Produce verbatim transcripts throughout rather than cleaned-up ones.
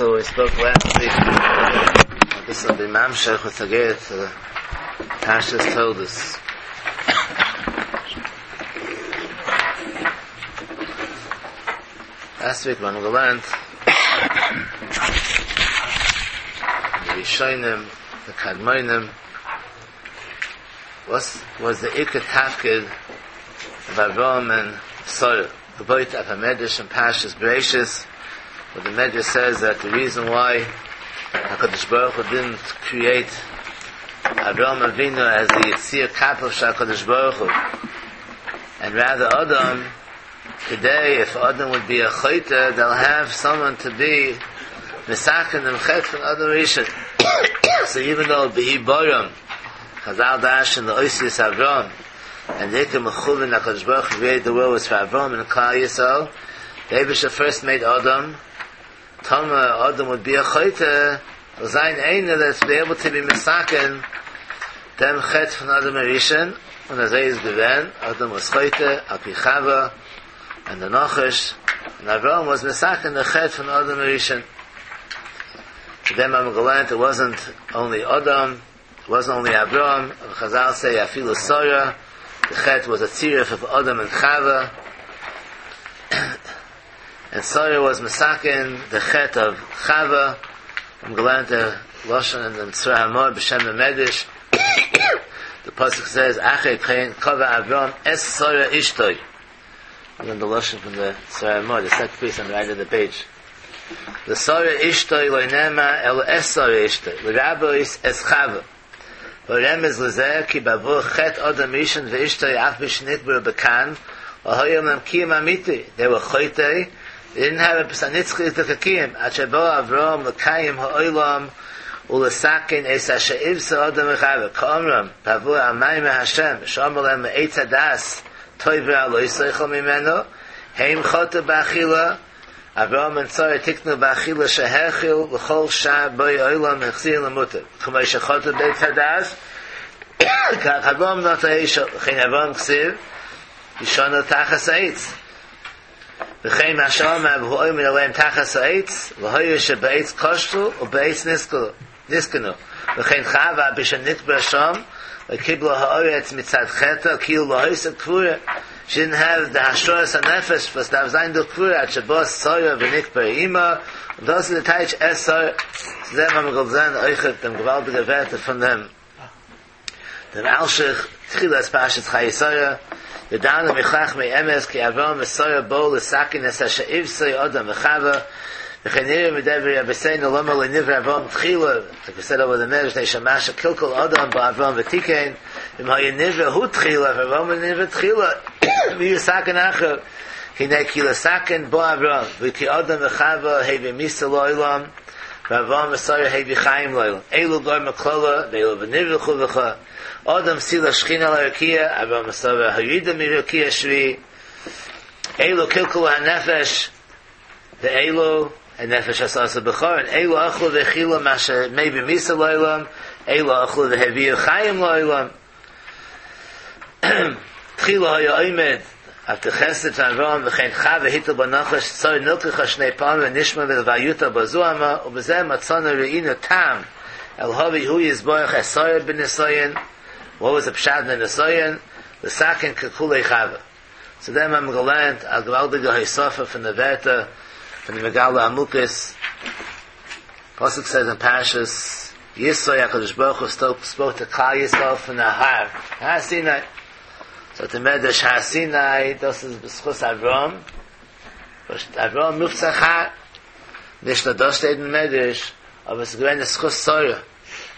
ביסל we spoke last week, א ביסל בין ממשיך וואס נוגע צו פרשת תולדות. Last week מיר האבן געלערנט די ראשונים, די קדמונים, וואס was the עיקר תפקיד of אברהם and שרה, געבויט אויף א מדרש אין פרשת בראשית, where the מדרש says that the reason why הקדוש ברוך הוא didn't create אברהם אבינו as the יציר כפיו של הקדוש ברוך הוא, and rather Adam, today if Adam would be a חוטא, they'll have someone to be מתקן דעם חטא פון אדם הראשון. So even though בהבראם, חז"ל דרש'ן the אותיות אברהם, and the עיקר מכוון הקדוש ברוך הוא created the world was for Avram and כלל ישראל, the אייבערשטער first made Adam. טאמער Adam would be a חוטא, זאל זיין איינער that's be able to be מתקן דעם חטא פון אדם הראשון, און אזוי איז געווען, Adam was חוטא, על פי חווה, and the נחש, and Avram was מתקן the חטא פון אדם הראשון. To them האבן מיר געלערנט, it wasn't only Adam, it wasn't only Avram, חז"ל say אפילו Sarah, the חטא was a צירוף of Adam and Chava, and Sarah was מתקן the חטא of Chava. האבן געלערנט the לשון in the צרור המור בשם המדרש. The פסוק says אחרי כן קבע אברהם את שרה אשתו. And then the לשון from the צרור המור, the second piece on the right of the page. לשרה אשתו לא נאמר אלא את שרה אשתו לרבות את חווה. ורמז לזה כי בעבור חטא אדם ראשון ואשתו אף על פי שנקברו בכאן היה להם קיום אמיתי. They were חוטא. They didn't have a נצחיות'דיגע קיום. עד שבא אברהם לקיים העולם ולתקן את אשר עותה אדם וחווה. כאמרם בעבור המאמר השם שאמר להם מעץ הדעת טוב ורע לא תאכל ממנו הם חטאו באכילה אברהם and שרה תיקנו באכילה שהאכיל לכל שאר באי עולם החזיר למוטב כמו שחטאו בעץ הדעת כך אברהם נטע אשל וכן אברהם כתיב ישנה תחת העץ וכן מה שאמר והוא עומד עליהם תחת העץ להעיר שבעץ כשלו ובעץ נתקנו וכן חווה בשנקברה שם וקיבלה הארץ מצד חטא כאילו לא היתה קבורה she didn't have the השראת הנפש וואס דארף זיין דורך קבורה עד שבא שרה ונקבר עמה און דאס איז די טייטש את שרה צו דעם האבן מיר געזען אויך דעם געוואלדיגע ווערטער פון דעם דעם אלשיך תחילת פרשת חיי שרה ידענו מחכמי אמת כי אברהם ושרה באו לתקן את אשר עוותו אדם וחווה וכן נראה מדברי רבותינו למה לא נברא אברהם תחילה like we said over the מדרש מפני שמה שקלקל אדם בא אברהם ותיקן אם היה נברא הוא תחילה ואברהם נברא תחילה מי יתקן אחריו הנה כי לתקן בא אברהם וכי אדם וחווה הביאו מיתה לעולם ואברהם ושרה הביאו חיים לעולם אלו גרמו קללה ואלו ונברכו וכו' אדם סילק שכינה לרקיע אברהם ושרה הורידו מרקיע שביעי אלו קלקלו הנפש ואלו הנפש עשתה בחרן אלו אכלו והאכילו מה שמביא מיתה לעולם אלו אכלו והביאו חיים לעולם תחילה היה עומד אויף די חסד פון אברהם וכן חווה הטיל בנחש שרה נלקחה שני פעמים ונשמר מלבעיותה בזוהמה ובזה מצאנו ראינו טעם אל הביא הוא יתברך את שרה בנסיון what was the פשט אין נסיון לתקן קלקולי חווה צו דעם האבן מיר געלערנט א געוואלדיגע הוספה פון די ווערטער פון די מגלה עמוקות פסוק says in פרשת יתרו הקדוש ברוך הוא spoke to כלל ישראל פון א הר הר סיני זאגט דער מדרש הר סיני דאס איז בזכות אברהם אברהם רופט זיך הר נישט נאר דאס שטייט אין מדרש אבער עס איז געווען בזכות שרה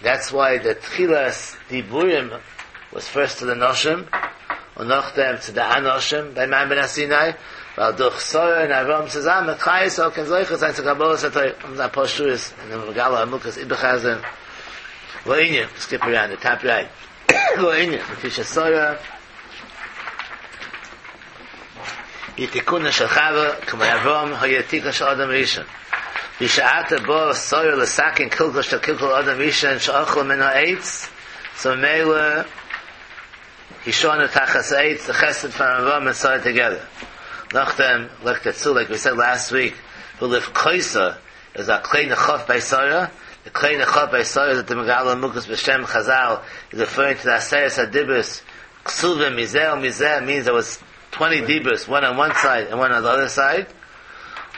that's why the תחילת דיבורים was first to the נשים און נאכדעם צו די אנשים ביי מעמד הר סיני ווייל דורך שרה און אברהם צוזאמען כלל ישראל קען זוכה זיין צו קבלת התורה און זיין פאר שורות אין דעם מגלה עמוקות איבערחזרן לענין skip around the top right לענין לפי ששרה היא תיקונה של חווה כמו אברהם היה תיקון של אדם ראשון בשעתה באה שרה לתקן קלקול של קלקול אדם ראשון שאכל מן העץ so ממילא הישנה תחת העץ the חסד פון אברהם and שרה together נאכדעם לייגט ער צו like we said last week ולבכותה איז א קליינע כף ביי שרה, די קליינע כף ביי שרה איז די מגלה עמוקות בשם חזל איז referring to the עשרת הדיברות כתובים מזה ומזה means there was twenty דיברות one on one side and one on the other side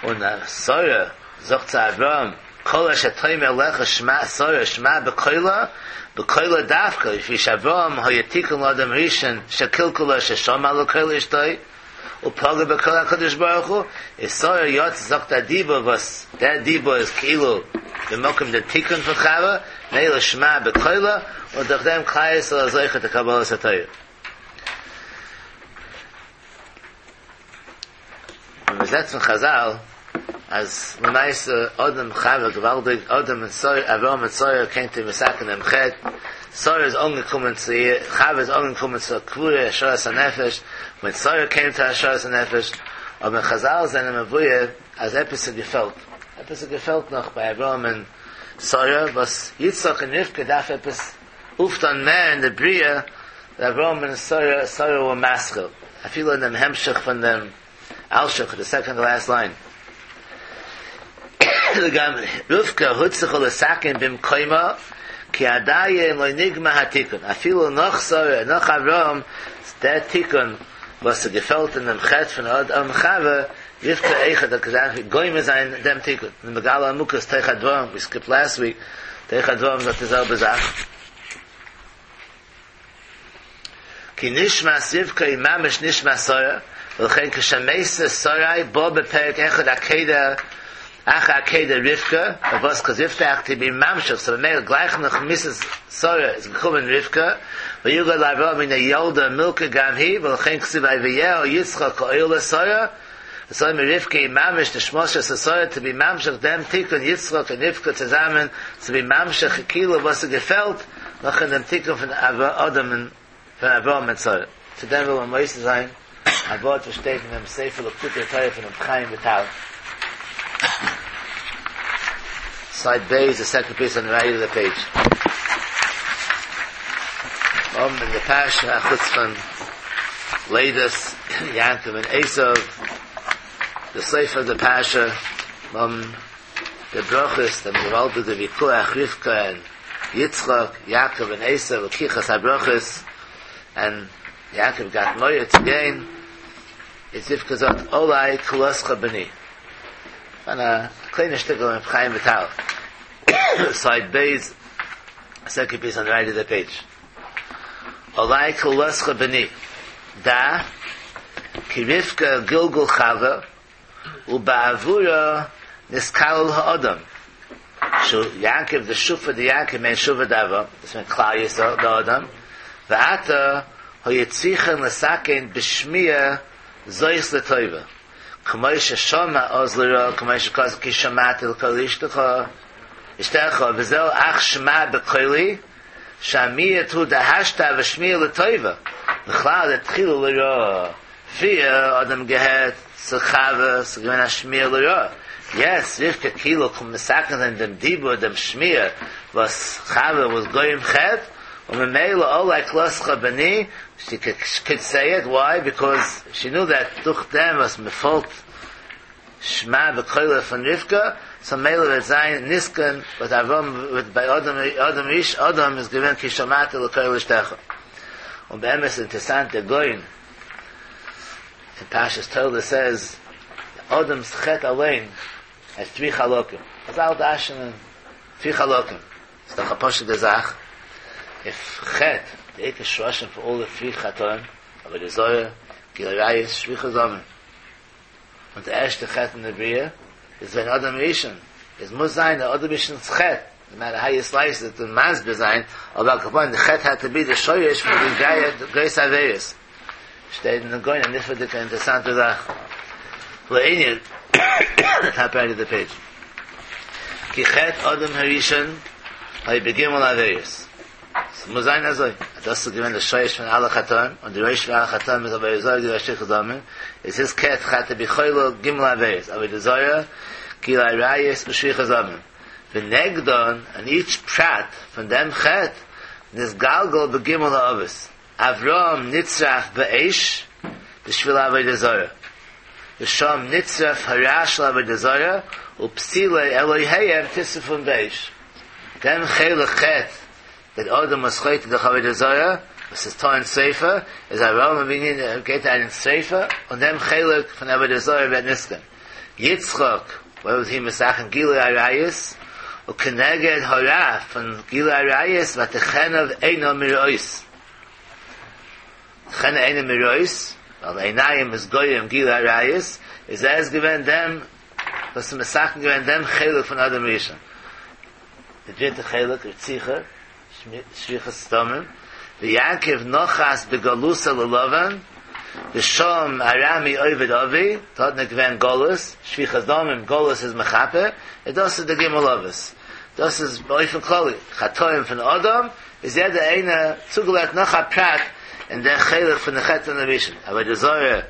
און שרה זאגט צו אברהם כל אשר תאמר אליך שמע שרה שמע בקולה בקולה דווקא לפי שאברהם היה תיקון לאדם הראשון שקלקלו ששמע לקול אשתו ופגע בקול הקדוש ברוך הוא איז שרה יוצא זאגט א דיבור וואס דער דיבור איז כאילו במקום דער תיקון פון חווה מילא שמע בקולה און דורך דעם כלל ישראל איז זוכה צו קבלת התורה. און מען זעט פון חזל אז למעשה אדם חווה געוואלדיג אדם און שרה אברהם און שרה קענט איר מתקן דעם חטא שרה איז אנגעקומען צו איר חווה איז אנגעקומען צו קבורה השארת הנפש ווען שרה קעים צו השארת הנפש אבער חזל זענען מבאר אז עפעס האט געפעלט עפעס האט געפעלט נאך ביי אברהם און שרה וואס יצחק און רבקה דארף עפעס אויפטון מער אין די בריאה אברהם און שרה שרה were משכיל אפילו אין דעם המשך פון דעם אלשיך די סעקאנד לעסט ליין וגם רבקה הוצרכה לתקן במקומה כי עדיין לא נגמר התיקון אפילו נאך שרה נאך אברהם דער תיקון וואס ס'געפעלט אין דעם חטא פון אדם חווה רבקה אויכעט האט געדארפט גומר זיין דעם תיקון אין מגלה עמוקות תוך הדברים we skipped last week תוך הדברים זאגט די זעלבע זאך כי נשמת רבקה היא ממש נשמת שרה, ולכן כשמתה שרי בא בפרק אחד עקידה אחר עקידה רבקה, פארוואס קאז רבקה האט טו בי ממשיך, סאו במילא גלייך נאך מיתת שרה איז געקומען רבקה, ויגד לאברהם הנה ילדה מלכה גם היא, ולכן כתיב ויביאה יצחק כאולה לשרה, סאו רבקה היא ממש נשמתה של שרה טו בי ממשיך דעם תיקון יצחק און רבקה צוזאמען צו בי ממשיך כאילו וואס ס'געפעלט נאך אין דעם תיקון פון אדם און פון אברהם און שרה. צו דעם וויל מען מוסיף זיין א ווארט וואס שטייט אין דעם ספר לקוטי תורה פון רבי חיים וויטאל. סייד ב' די סעקאנד פיס אן די רייט אוו די פעידזש. מיר האבן אין די פרשה אחוץ פון לידת יעקב און עשיו, די סוף פון די פרשה, מיר האבן די ברכות, דעם געוואלדיגע ויכוח רבקה און יצחק, יעקב און עשיו, לקיחת הברכות, און יעקב געהאט מורא צו גיין, איז רבקה זאגט עלי קללתך בני. פון א קליינע שטיקל אין ר' חיים וויטאל, סייד ב', סעקאנד פיס אן די רייט אוו די פעידזש. עלי קללתך בני, דע כי רבקה גלגול חוה ובעבורה נתקלל האדם, שהוא יעקב די שופא דיעקב מיינט שופא דאברהם, דאס מיינט כלל ישראל די אדם, ועתה היו צריכין לתקן בשמיעה זאת לטובה, כמו ששמע אז לרעה כמו שכתוב כי שמעת לקול אשתך אשתך וזהו אך שמע בקולי שהמיעוט הוא דהשתא ושמיעה לטובה, בכלל דתחילה לרעה, פריער אדם געהערט צו חווה, ס'איז געווען א שמיעה לרעה, יעצט רבקה כאילו קומט מתקן זיין דעם דיבור דעם שמיעה וואס חווה וואס גורם חטא, וממילא עלי קללתך בני, she could say it, why? Because she knew that דורך דעם וואס מ'פאלגט שמע בקולה פון רבקה, סאו מילא וועט זיין נתקן וואס אברהם וועט ביי אדם אדם איש אדם איז געווען כי שמעת לקול אשתך. און באמת איז אינטערעסאנט דער גאון אין פרשת תולדות סעז אדם'ס חטא אליין העז טרי חלקים, חזל דרש'נען טרי חלקים, ס'איז דאך א פשוט'ע זאך, איף חטא, די עיקר שרשים פאר אלל די טרי חטאים, עבודה זרה, גילוי עריות, שפיכות דמים. און די ערשטע חטא אין די בריאה איז ווען אדם הראשון, עס מוז זיין דער אדם הראשון'ס חטא, נאו מעטער האו יו סלייס איט און מסביר זיין, אבער על כל פנים די חטא העד טו בי די שורש פון די דריי גרויסע עבירות. שטייט אין די גאון א נפלא'דיגע אינטערעסאנטע זאך. לענין, טאפ רייט אוו די פעידזש. כי חטא אדם הראשון היה בג' עבירות. ס'מוז זיין אזוי, אז דאס איז געווען די שורש פון אלע חטאים, און די ראש פון אלע חטאים איז עבודה זרה גילוי שפיכות דמים, איז היז חטא העד טו בי כולל ג' עבירות, עבודה זרה, גילוי עריות ושפיכות דמים. ונגדן, און איטש פרט פון דעם חטא, נתגלגל בג' האבות, אברהם נשרף באש בשביל עבודה זרה. ושם נצרף הרע של עבודה זרה ופסילי אלוהיהם תשרפון באש. דעם חלק חטא that Adam was chayt the Avodah Zarah, was is torn Seifa, is Avraham Avinu geht ein in Seifa, und dem Chelek von Avodah Zarah wird nisken. Yitzchak, what was he mesachin Gilui Arayis, ukeneged hara von Gilui Arayis, vatechenav eino mirois. Chena eino mirois, weil Einayim is goyim Gilui Arayis, is er es gewähnt dem, was mesachin gewähnt dem Chelek von Adam Rishon. Der dritte Chelek, Ritzicha, Shvichas Stomim, the Yaakov Nochas begalusa lelavan, the Shom Arami Ovid Avi, dort ne gewen Golus, Shvichas Domim, Golus is Mechape, and das ist der Gimel Ovis. Das ist Oifen Kloli, Chatoim von Adam, ist jeder eine zugelegt noch a Prat in der Chelek von der Chet und der Rishon. Aber der Zora,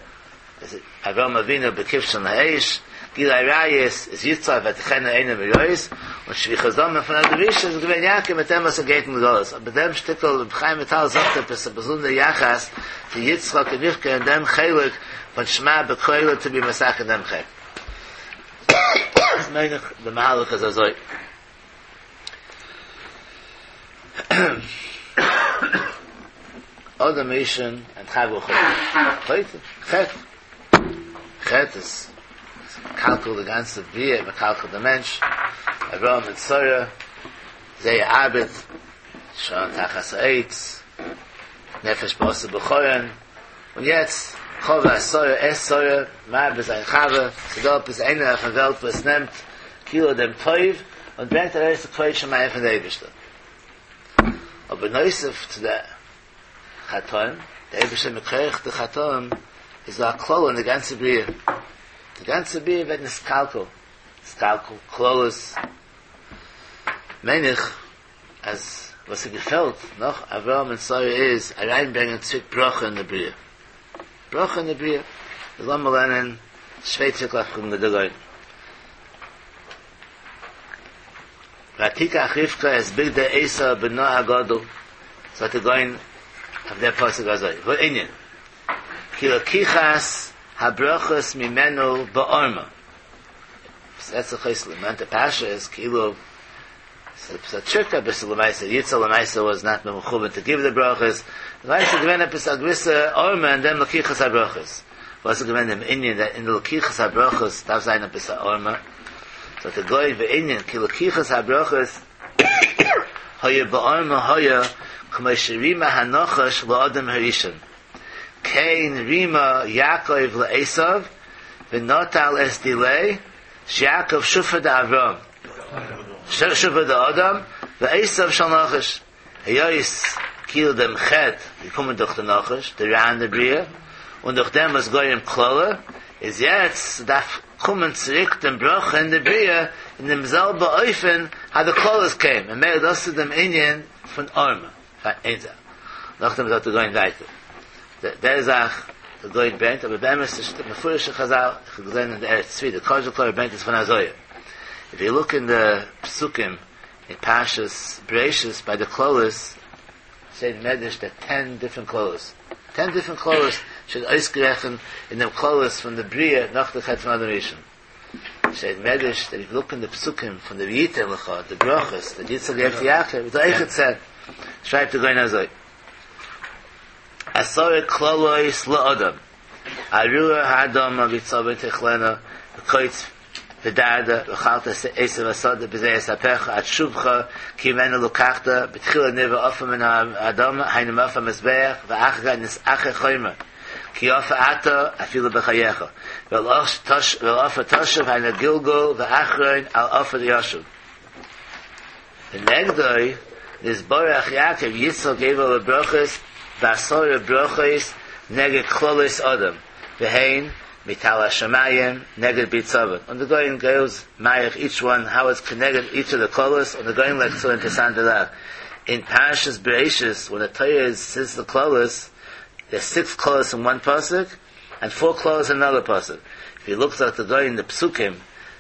ist Avraham Avinu bekifshon ha'esh, Gilai Rayis is Yitzhak v'techena eine mirois, und Shvichas Domim von Adam Rishon ist gewesen Yaakov mit dem, was er geht in Golus. Aber dem Stickel, Chaim Vital sagt, er ist ein besonderer Yachas, die Yitzchak und Rivka in dem Chelek von Shema bekoyle to be Masach in dem Chelek. Das meine ich, der Mahalach ist also. Adam Rishon and Chavu Chet. Chet. Chet is kalkul the ganze Bria, kalkul the Mensch, Avraham and Sarah, Zeya Abed, Shon Tachas Eitz, Nefesh Ba'osa B'choren, und jetzt, Chova Sarah, Es Sarah, Ma B'zayin Chava, Sedop ist einer von Welt, wo es nimmt, Kilo dem Toiv, und bringt er erst Koy Shemayim von der Eberste. Aber Neusef zu der Chaton, der Eberste mit Koyach, der Chaton, ist da Klol in der ganze Bria. Die ganze Bier wird ein Skalko. Skalko, Klolus. Meine ich, als was ihr gefällt, noch Avraham und Sarah ist, ein reinbringen zurück Broche in der Bria. Broche in der Bria. Das wollen wir lernen, Schweizer von der Leuten. Vatika Rivka es bigde Esa beno hagadol. So hat er going auf der Pasuk also. Wo inyan? Ki lakichas habrochos mimenu ba'orma. That's the chesed. Man, the pasha is kilo. It's a trick that Bissel Lemaisa. Yitzhak Lemaisa was not mechuben to give the brachos. Lemaisa given up his agrisa orma and then lakichas habrochos. Was it given them inyan that in the lakichas habrochos darf sein a bissel orma. So the goy ve'inyan ki lakichas habrochos hoya ba'orma hoya k'mo sherima hanochash la'adam harishon. Kain Rima Yaakov le'Esav v'notal es delay Yaakov shufa da Avram shufa da Adam ve'Esav shal Nachash Hayois kil dem Chet gekommen durch den Nachash der Ra in der Bria und durch dem was goyim Klolle ist jetzt darf kommen zurück dem Broch in der Bria in dem selben Eufen hat der Klolles came und mehr das zu dem Indien von Orma nachdem sagt er going weiter der Sach, der Goy brennt, aber bei ihm ist es der Mefurische Chazal, ich habe gesehen in der Eretz Tzvi, der Kodesh brennt ist von Azoya. If you look in the Psukim, in Pashas, Bereshis, by the Klolos, say in Medrash, there are ten different Klolos. Ten different Klolos should ausgerechnet in dem Klolos from the Bria, nach der Chet von Adam Rishon. Say in Medrash, that if you look in the Psukim, from the V'yitem Lecha, the Brachos, the Yitzhak gave to Yaakov, the Eichet said, schreibt der Goy Azoy. Asore klolois la'adam. Arura ha'adam v'tzav techlena v'koitz v'darda v'chalta esav asada b'zei esapecha ad shuvcha ki imenu lukachta b'tchila niva ofa min ha'adam hainu ofa mizbeach v'achaga nis'ache choyma ki ofa ata afilu b'chayecha v'al ofa toshav hainu gilgul v'achroin al ofa yoshuv. V'negdoi nizborach Yaakov Yitzchak gave all the brachos Basor brochos neged klolis adam v'hein mital hashamayim neged bitzavon. On the going goes mayach each one how it's connected each of the klolis. On the going like so interessant that in Parashas Bereshis when the Torah is, says the klolis, there's six klolis in one pasuk and four klolis in another pasuk. If you look at the going in the psukim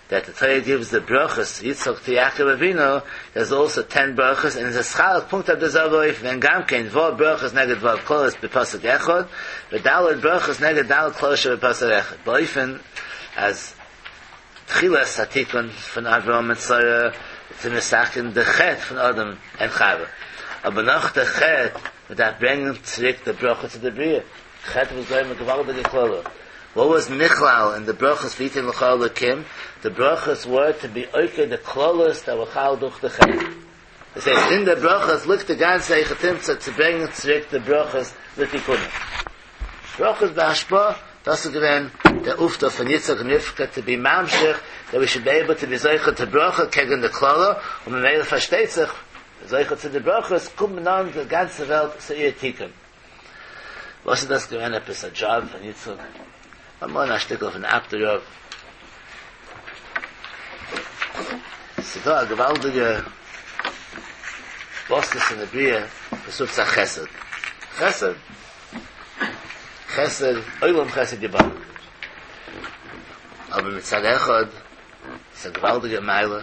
that the Torah gives the brachas Yitzchak to Yaakov Avinu, there's also ten brachas, and it's a schalak punkt of the zavoif, and gamkein vav brachas neged vav klolos b'pasuk echad, v'dalad brachas neged dalad klolos b'pasuk echad. Boifen, as Tchilas hatikun von Avraham and Sarah, to misakin the chet von Adam and Chava. Aber nach der chet, mit der bringen zurück the bracha to the Bria. Chet was going with gewaltige Klala. What was nichlal in the brachas v'yitin l'chal l'kim? The brachas were to be oike the klolas that were chal duch the chet. They say, in the brachas, lik the ganze eichatimtza to bring zurück the brachas l'tikuna. Brachas b'hashpa, das ist gewesen der Ufta von Yitzchak und Rivka to be mamshich, that we should be able to be zeicha to bracha kegen the klala, und man versteht sich, zeicha zu the brachas, kommen an die ganze Welt zu ihr Tikkun. Was ist das gewesen, etwas a job von Yitzchak? Am ein Stück von Abderov. Es ist da eine gewaltige Bosses in der Bria, versucht sich Chesed. Chesed. Chesed, Olam Chesed Yibam. Aber mit Zad Echad, ist eine gewaltige Meile,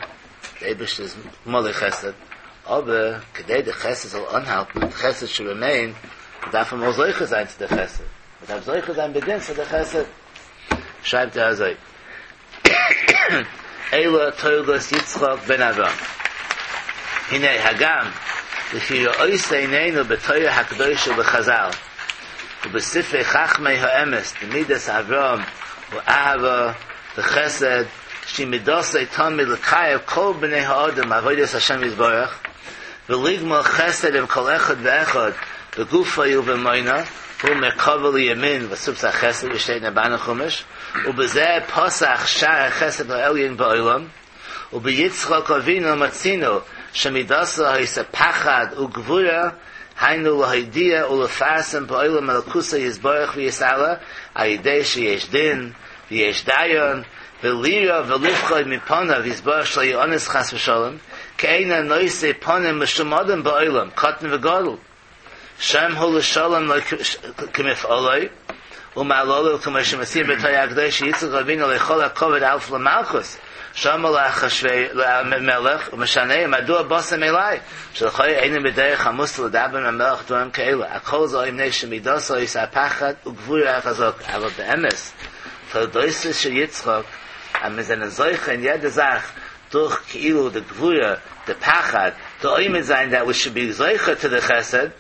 der Eberste ist Mole Chesed, aber, kedei der Chesed soll anhalten, der Chesed should remain, darf man auch solche sein zu der Chesed. Man darf solche sein bedient zu der Chesed. Schreibt er also, Eila Toilos Yitzchak ben Avram. Hine Hagam, לפי ראויס עינינו בתויר הקדוש ובחז"ל, ובספרי חכמי האמס, דמידס אברהם, ואהבה, וחסד, שמידוסי תמיד לקייב כל בני האדם, עבודת השם יתברך, ולגמול חסד עם כל אחד ואחד, בגופו ובמוינה, הוא מרכבה לימין, וסופס החסד, ושתי נבן החומש, ובזה פוסח שער החסד העליון בעולם, וביצחק אבינו מצינו, שמידוסו היסה פחד וגבורה, היינו להודיע ולפרסם בעולם מלכוסו יזברך ויסעלה, על ידי שיש דין, ויש דיין, ולירה ולבחוד מפוניו יזברך של יאונס חס ושלום, כי נויסי פונים משום אדם בעולם, קטן וגודל. שם הוא לשלום כמפעלוי, ומעלולו כמו שמסיר בתוי הקדוש יצחק אבינו לכל הכובד אלף למלכוס, שם לחשבי למלך ומשנה מדוע בושם אליי שלכל אינו בדרך המוס לדבר עם המלך דברים כאלה הכל זו עם שמידוסו ישא פחד וגבורה החזק אבל באמס תולדויסס של יצחק המזן זויכה in jede Sach durch כאילו the גבורה the פחד the oimed sein that we should be zoicha to the chesed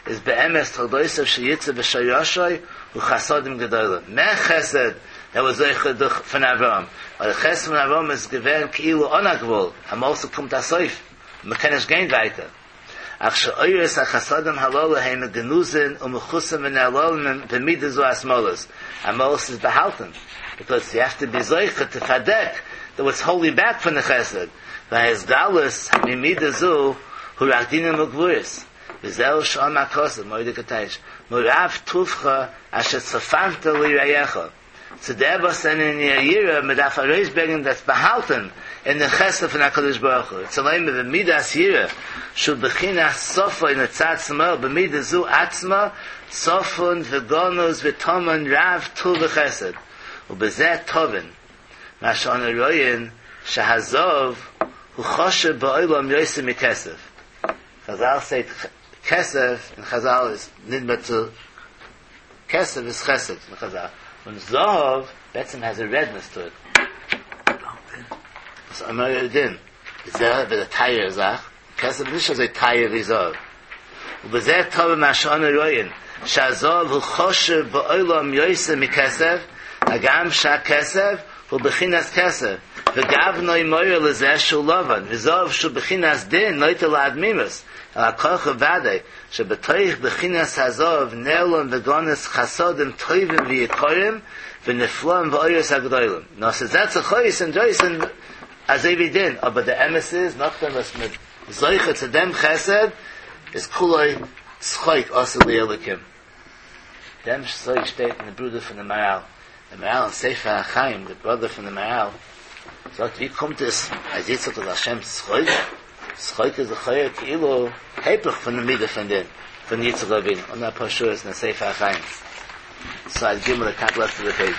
is be'emes toldoisav sheyitze b'shayoshay uchasodim gedolim. Me chesed that was zoicha durch von Avraham. Weil chesed von Avraham ist gewähren ki'ilu onagvol. Am also kommt das Seif. Man kann nicht gehen weiter. Ach she'oyres ha-chasodim halolu heim genuzen u'mechusem v'ne'alolim b'mide zu asmolos. Amolos is behalten. Because you have to be zoicha to fadek that was holding back from the chesed. V'hezgalus mimide zu hu rakdinim u'gvuris. וזהו שעון הכוסף, מוריד הקטייש. מורב טובך אשר צפנת ליראיך. Zu der was in ihr Jira mit der Verreisbergen das behalten in der Chesed von HaKadosh Baruch Hu. Zu leim be midas Jira shu bechinas sofa in der Tzad Smal be zu atzma sofun vegonus v'tomen rav tu v'chesed. Ubezeh tovin ma shon royin shehazov hu choshe ba'olam yoyse mikesef. Chazal say Kesef in Chazal is nidma to Kesef is Chesed in Chazal. When Zahav, Betzim has a redness to it. So Amar Yodin, Zahav is a tire zach. Kesef is a tire v'zahav. Ubezeh tov mashon royin. Shazov hu chosher ba'olam yoyse mikesef, agam sha kesef, hu bechinas kesef. V'gavnoi moyer lezeh shu lovan. V'zahav shu bechinas din, noite la'admimus. HaKoch v'adei, shebetoich b'chinas hazov, ne'elon v'gonis chasodim toivim v'yikorim, v'niflom v'oyos ha'gdoilim. Now, so that's a choyis and joyis and azevi din. Oh, but the emes is, nachdem was mit zoicha to dem chesed, is kuloi tzchoik asa li'elikim. Dem tzchoik steht in the Bruder von the Maral. The Maral in Sefer HaChaim, the brother from the Maral, sagt, wie kommt es, als Yitzchak to Hashem tzchoik? Tzchoik is a chayer ki'ilu hepech von the midah von den, von Yitzchak Avinu. On that pashur is in the Sefer HaChaim. So I'd give him the top left of the page.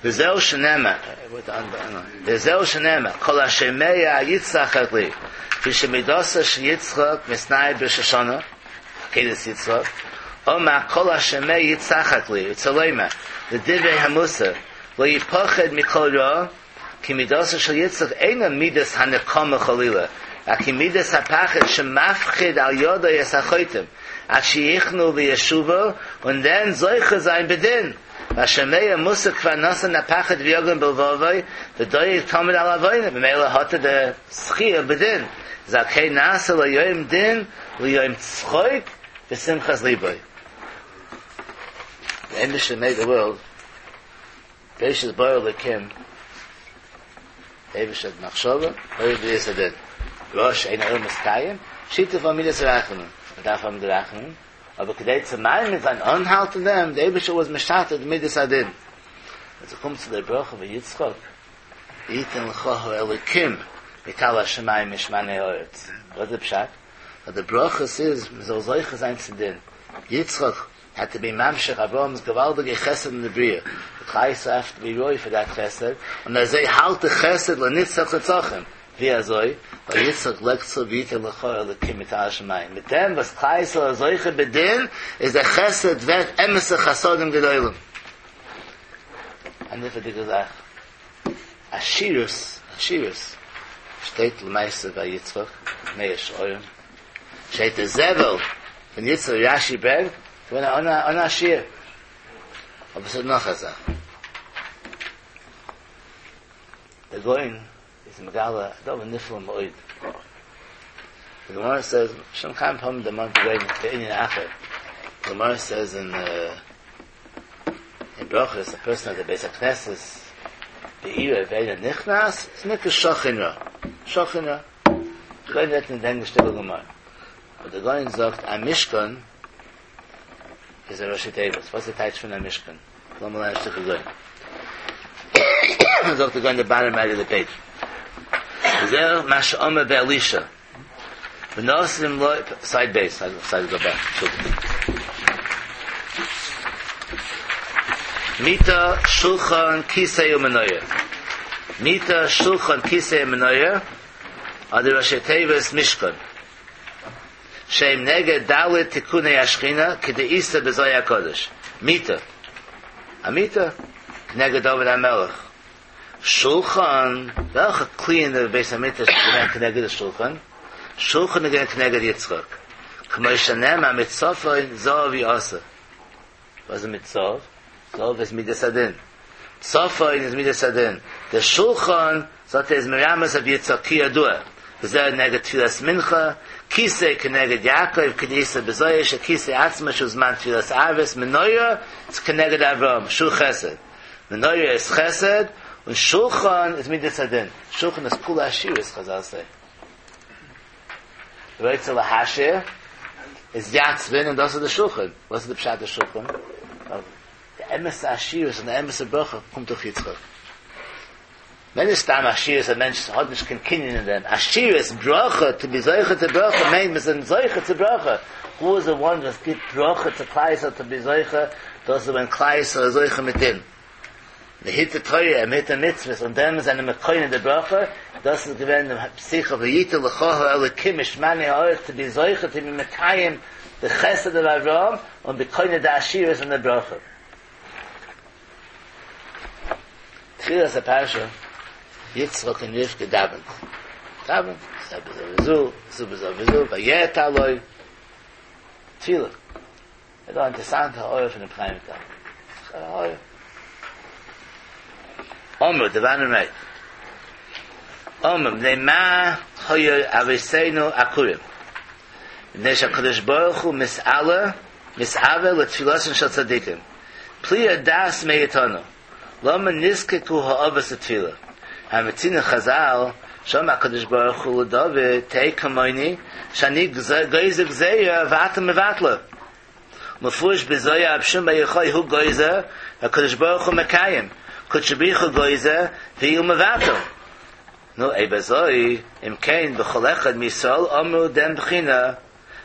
וזהו שנאמר, וזהו שנאמר, כל השומע יצחק לי, כפי שמידתו של יצחק מתנהג בראש השנה, עקידת יצחק, אמר כל השומע יצחק לי, רוצה לומר, לדברי המוסר, לא יפחד מכל רע, כי מידתו של יצחק אינה מידת הנקמה חלילה, רק היא מידת הפחד שמפחיד על ידו את החוטאים, עד שיחנו וישובו, און דען זוכה זיין בדין. והשומע מוסר כבר נתן הפחד ויגון בלבבו, ודואג תמיד על עוונו, ממילא האט ער די זכיה בדין. על כן נעשה לו יום דין ליום צחוק ושמחת ליבו. The Eibishter made the world, בראשית ברא אלקים, Eibishter האט מחשבה, ברא בריאת הדין. ראה שאין העולם מתקיים, שיתף בה מידת הרחמים. מ'דארף האבן די רחמים, אבער כדי צו מעמיד זיין אנהאלטן דעם, דער Eibishter was משתף די מידת הדין. ווען ס'קומט צו דער ברכה ביי יצחק, יתן לך האלוקים מטל השמים משמני הארץ. וואס איז דער פשט? ווייל די ברכה איז, מ'זאל זוכה זיין צו דין. יצחק had to be ממשיך Avram's געוואלדיגע חסד אין די בריאה. The כלל ישראל have to be ראוי for that חסד. און אזוי האלט די חסד לנצח נצחים. ווי אזוי? ווייל יצחק לייגט צו ויתן לך אלוקים מטל השמים. מיט דעם וואס כלל ישראל איז זוכה בדין, איז דער חסד ווערט אמת'ע חסדים גדולים. א נפלא'דיגע זאך. עשירות, עשירות, שטייט למעשה ביי יצחק, מאה שערים. שטייט דער זבל פון יצחק רש"י ברענגט, געווען אן אן א שיעור. אבער ס'איז נאך א זאך. דער גאון איז מגלה דבר נפלא מאוד. The Gemara says, שוין כמה פעמים דערמאנט די גאון בענין אחר. The Gemara says in uh, in ברכות, a person at the בית הכנסת, בעירו ואינו נכנס, it's נקרא שכן רע. שכן רע. The גאון רעדט אין דעם שטיקל גמרא. But the גאון זאגט, א משכן איז א ראשי תיבות. וואס איז די טייטש פון א משכן? לאמיר לערנען א שטיקל גאון. זאגט דער גאון the bottom right of the page. זהו מה שאמר באלישע. ונושאים לו, side base, side, side go back. מיטה, שולחן, כיסא ומנורה. מיטה, שולחן, כיסא ומנורה are the ראשי תיבות משכן. שהם נגד ד' תיקוני השכינה כדאיתא בזוהר הקודש. מיטה. המיטה כנגד דוד המלך. שולחן, וועלכע כלי אין דער בית המקדש איז געווען כנגד שולחן? שולחן איז געווען כנגד יצחק. כמו שנאמר מצפון זהב יעשה. וואס איז מיט זהב? זהב איז מידת הדין. צפון איז מידת הדין. דער שולחן, זאגט ער, איז מרמז אויף יצחק כידוע. וזה נגד תפילת מנחה, כיסא כנגד יעקב, כדאיתא בזוהר, שכיסא עצמו שהוא זמן תפילת ערבית, מנורה, it's כנגד אברהם, שהוא חסד. מנורה איז חסד, און שולחן איז מידת הדין. שולחן איז כולו עשירות, חז"ל say. רוצה להעשיר איז יצבן, און דאס איז דער שולחן. וואס איז דער פשט דער שולחן? די אמת'ע עשירות און די אמת'ע ברכה קומט דורך יצחק. ווען איז סתם עשירות, א מענטש האט נישט קיין קנין אין דעם. עשירות, ברכה, to be זוכה צו ברכה, מיינט מיר זענען זוכה צו ברכה. Who is the one that gives ברכה to כלל ישראל to be זוכה? דאס איז ווען כלל ישראל איז זוכה מיט דין. מ'היט די תורה, מ'היט די מצוות, און דעם זענען מיר קונה די ברכה. דאס איז געווען די פתיחה ויתן לך האלקים משמני הארץ to be זוכה to be מקיים די חסד of אברהם און be קונה די עשירות און די ברכה. תחילת הפרשה, יצחק און רבקה דאווענט. דאווענט, זו בזו, זו בזו וזו, ויעתר לו. תפילה. איז דא אן אינטערעסאנטע הערה פון רב חיים וויטאל. הערה. אמרו, the bottom right. אמרו, מפני מה היו אבותינו עקורים? מפני שהקדוש ברוך הוא מתעלה, מתאווה לתפילתן של צדיקים. פליאה דעת מאיתנו. למה נזקקו האבות לתפילה? המצינו חז"ל, שאמר הקדוש ברוך הוא לדוד, תהא כמוני, שאני גוזר גזירה ואתה מבטלה. מפורש בזוהר רב שמעון בר יוחאי הוא גוזר, הקדוש ברוך הוא מקיים. קודשא בריך הוא גוזר, והוא מבטל. נו, אויב אזוי, אם כן, בכל אחד מישראל אמרו דעם בחינה,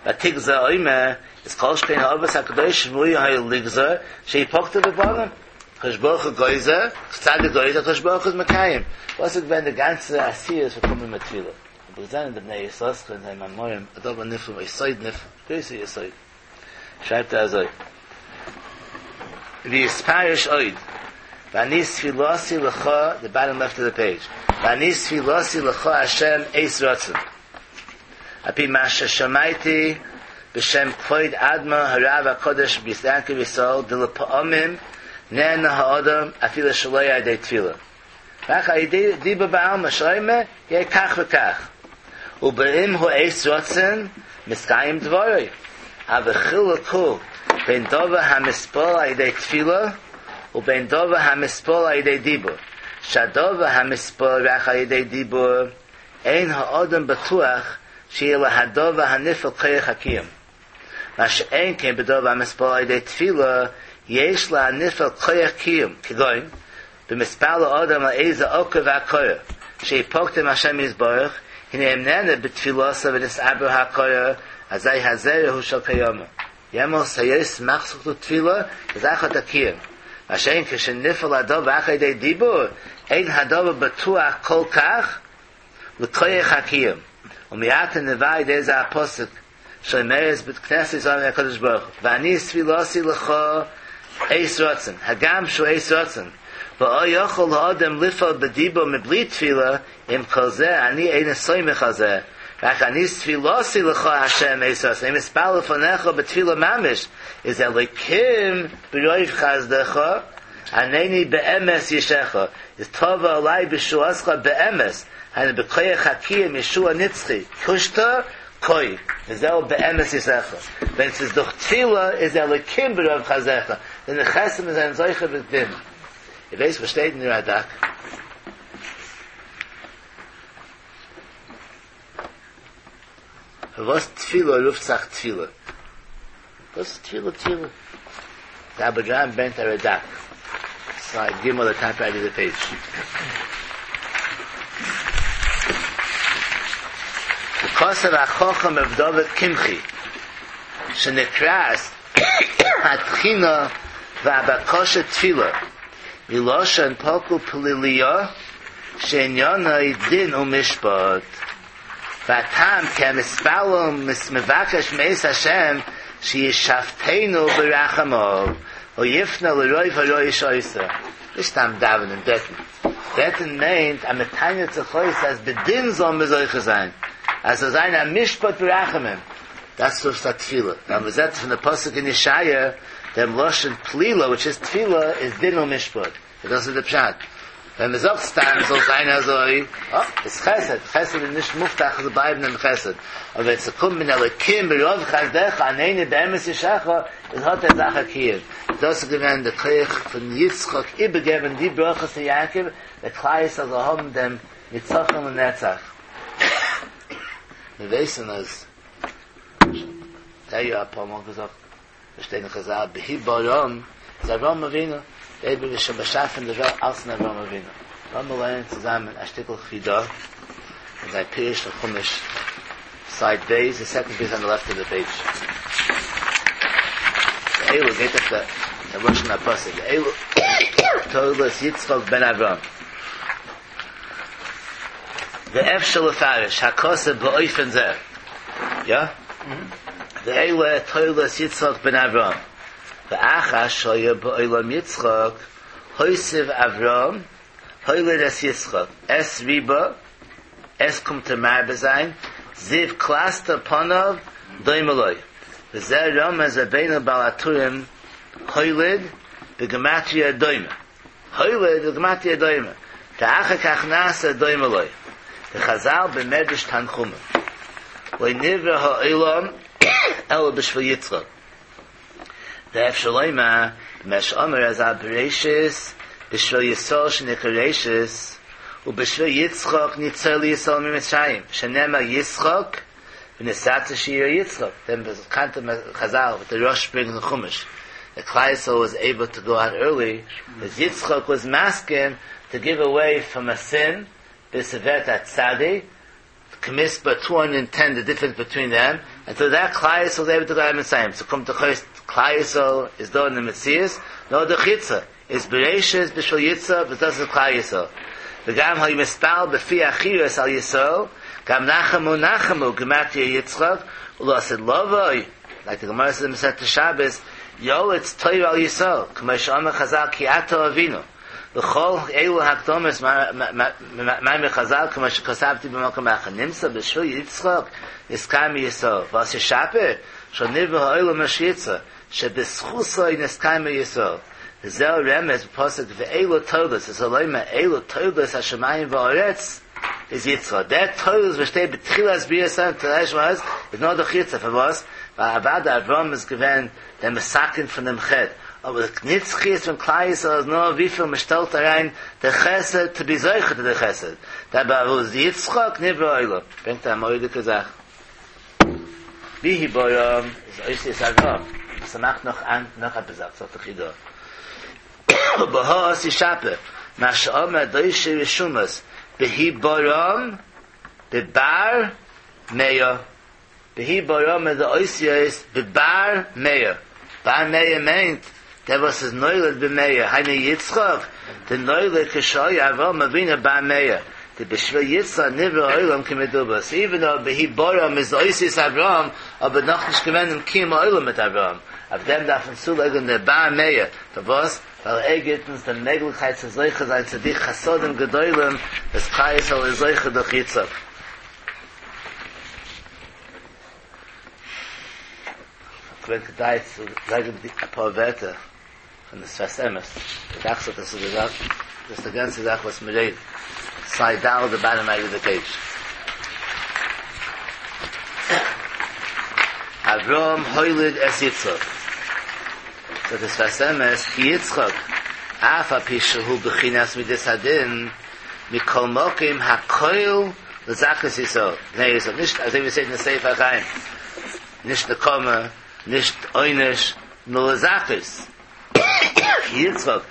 ותגזר אומר, איז כל שכן האבות הקדושים ראוי היו לגזור, שיפקדו בבנים. הקדוש ברוך הוא גוזר, צדיק גוזר, הקדוש ברוך הוא איז מקיים. וואס איז געווען די גאנצע עשיות פון קומען מיט תפילה? אבער געזען אין די בני יששכר אין זיין מאמרים, א דבר נפלא, יסוד נפלא, גרויסע יסוד. שרייבט ער אזוי, ויתפרש עוד, ואני תפילתי לך, the bottom left of the page, ואני תפילתי לך השם עת רצון. על פי מה ששמעתי בשם כבוד אדמו הרב הקדוש בית יעקב ישראל דלפעמים נענה האדם אפילו שלא על ידי תפילה רק על ידי דיבור בעלמא שאומר יהיה כך וכך ובאם הוא עת רצון מתקיים דברו אבל חילוק הוא בין דבר המתפלל על ידי תפילה ובין דבר המתפלל על ידי דיבור שהדבר המתפלל רק על ידי דיבור אין האדם בטוח שיהיה להדבר הנפעל כח הקיום. מה שאין כן בדבר המתפלל על ידי תפילה, יש להנפעל כח קיום, כגון, במתפלל האדם על איזה עוקר ועקרה, שיפקדם השם יתברך, הנה אם נענה בתפילתו ונתעברה העקרה, אזי הזרע הוא של קיימא. יעמאלט היות מאכט זיך די תפילה, איז האט א קיום. מה שאין כשנפעל הדבר רק על ידי דיבור, אין הדבר בטוח כל כך, לכח הקיום. ומעתה נבאר על ידי זה הפסוק שאומרת בכנסת ישראל מהקדוש ברוך הוא ואני תפילתי לך עת רצון הגם שהוא עת רצון ולא יכול האדם לפעול בדיבור מבלי תפילה עם כל זה אני איני סומך על זה רק אני תפילתי לך השם עת רצון אני מתפלל לפניך בתפילה ממש איז אלוקים ברוב חסדך ענני באמת ישעך איז תבוא אלי בישועתך באמת היינו בכח הקיום ישועה נצחי קושטא קאי וזהו באמת ישעך ווען ס'איז דורך תפילה איז אלוקים ברוב חסדך ווען די חסד איז זיין זוכה בדין איר ווייסט וואס שטייט אין רדק? פארוואס תפילה רופט זיך תפילה? וואס איז תפילה תפילה? די אבודרהם ברענגט א רדק, סייד ג' די טאפ רייט אוו די פעידזש. וכתב החכם ר' דוד קמחי שנקראת התחינה והבקשה תפילה מלשון פלפול פליליה שעניינו דין ומשפט. והטעם כי המתפלל מבקש מאת השם שישפטנו ברחמיו ויפנה לרוב הרעות שעושה. נישט סתם דאווענען בעטן. בעטן מיינט אז מען טענה'ט זיך אויס אז בדין זאל מען זוכה זיין אז ס'זאל זיין א משפט ברחמים. דאס רופט א תפילה. ווייל מען זעט פון די פסוק אין ישעיה דעם לשון פלילה וויטש איז תפילה איז דין ומשפט. און דאס איז די פשט ווען מען זאגט סתם זאל זיין אזוי, אה, איז חסד, חסד איז נישט מובטח אז בלייבן אין חסד, אבער ווען ס'קומט מן אלקים ברוב חסדך ענני באמת ישעך, איז האט ער זאך א קיום. דאס איז געווען די כח פון יצחק איבערגעבן די ברכות צו יעקב, דער כלל ישראל זאל האבן דעם נצחון לנצח. מיר ווייסן אז דער יא אפאר מאל געזאגט וואס שטייט אין חזל בהבראם איז אברהם אבינו, דער אייבערשטער האט באשאפען די וועלט אלס אין אברהם אבינו. לאמיר לערנען צוזאמען א שטיקל חידא אין זיין פירוש לחומש, סייד ב', די סעקאנד פיס אן די לעפט אוו די פעידזש. ואלה גייט אויף די לשון הפסוק, ואלה תולדות יצחק בן אברהם. ואפשר לפרש הכתוב באופן זה, יא? ואלה תולדות יצחק בן אברהם, ואחר שהיה בעולם יצחק, הוסיף אברהם, הוליד את יצחק, את ריבה, את קומט ער מרבה זיין, זיו קלסתר פניו דומה לו, וזה רמז רבינו בעל הטורים הוליד בגמטריא דומה. הוליד בגמטריא דומה, ואחר כך נעשה דומה לו, וחזל במדרש תנחומא, לא נברא העולם אלא בשביל יצחק, ואפשר לומר במה שאמרו רזל בראשית בשביל ישראל שנקרא ראשית, ובשביל יצחק ניצולו ישראל ממצרים, שנאמר יצחק ונתרצה שערו יצחק, דעם באקאנטע חזל וואס דער ראש ברינגס אין חומש, דעט כלל ישראל וואס עיבל טו גאו אוט ערלי, איז יצחק וואס מסכים טו גיוו אוועי פראם א סין ביז ס'ווערט א צדי, כמספר טו הונדרעט ענד טען די דיפרענס ביטווין דעם, And so that Klai Yisrael is able to go out of Mitzrayim. So come to Klai Yisrael is done in the Metzias, no the Chitza. Is Bereshis b'Shvil Yitzchak, but doesn't Klai Yisrael. V'gam hayimispal b'fi achiras al Yisrael, gam nachamu nachamu gematria Yitzchak, u'lasid lovoi, like the Gemara says in Masechta Shabbos, Yolitz Torah al Yisrael, k'may she'amar Chazal ki ato avinu. V'chol elu hakdomes ma'amar Chazal, k'may she'kosavti b'makom acher. Nimsa b'Shvil Yitzchak, niskam Yisrael. V'as yishaper, she'nivra ha'olam ha'shitza, she'b'schusoi niskam Yisrael. Zel remez pasuk ve'elu tolos is aloyma elu tolos hashemayim va'aretz is Yitzchak. That tolos which they betchilas biyasam teresh was is not the Yitzchak for was. Avada Avram is given the mesakin from dem ched. Aber the nitzchis from Klai Yisrael is no wie viel mishtel rein the chesed to be zeicher to the chesed. That was Yitzchak nivra oilo. Bringt der moidike Sach. Bihi boyam is oisis Avram. Samach noch an noch a bezak sagt der Chidah. Bahas Yishape, Mash'ama Doishe Rishumas, Behi Boram, Bebar Meya. Behi Boram the Oisias, Bebar Meya. Bar Meya meant, there was his Noilad B'Meya. Haine Yitzchak, the Noilad Kishoy Avram Avinu Bar Meya. The B'Shvil Yitzchak Nivra Oilam Kimedubas. Even though Behi Boram is Oisias Avram, aber noch nicht gewähnt im Kim Oilam mit Avram. Auf dem darf man zulegen der Bar Meya. For was? Weil er gibt uns die Möglichkeit zu Zeichen sein, zu dich Chasodim Gedolim, das Klai Yisrael ist Zeichen durch Yitzchak. Ich will gedei zu sagen, ein paar Wörter von des Sfas Emes. Ich dachte, das ist die Sache, das ist die ganze Sache, was mir redet. Sei da oder bei dem eigenen Cage. Avram hoylid es Yitzchak. So das Sfas Emes, ki Yitzchak, af api shehu b'chinas midas hadin, mikol mokim hakoil l'zakas Yisrael. Bnei Yisrael. Nicht, also wie steht in der Sefer Chaim. Nicht Nekoma, nicht Oynish, nur l'zakas. Ki Yitzchak,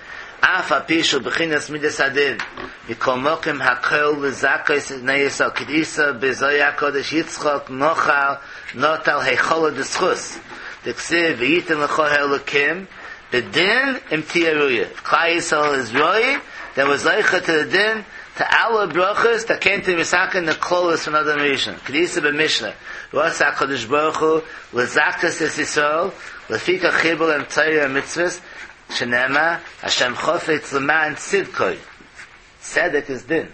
af api shehu b'chinas midas hadin, mikol mokim hakoil l'zakas bnei Yisrael. Kedisa b'zoya kodesh Yitzchak nochal notal heichol d'schus. D'ksiv v'yitin l'cho ha'elokim b'din im tiyaruya. If Klai Yisrael is roi, then was leicha to the din, to alle brachas that came to Misakin the klolos from other nation. Kedisa b'mishnah. Rosh HaKadosh Baruch Hu l'zakas es Yisrael l'fika chibul em Torah mitzvahs shenema Hashem chofetz l'man tzidkoi. Tzedek is din.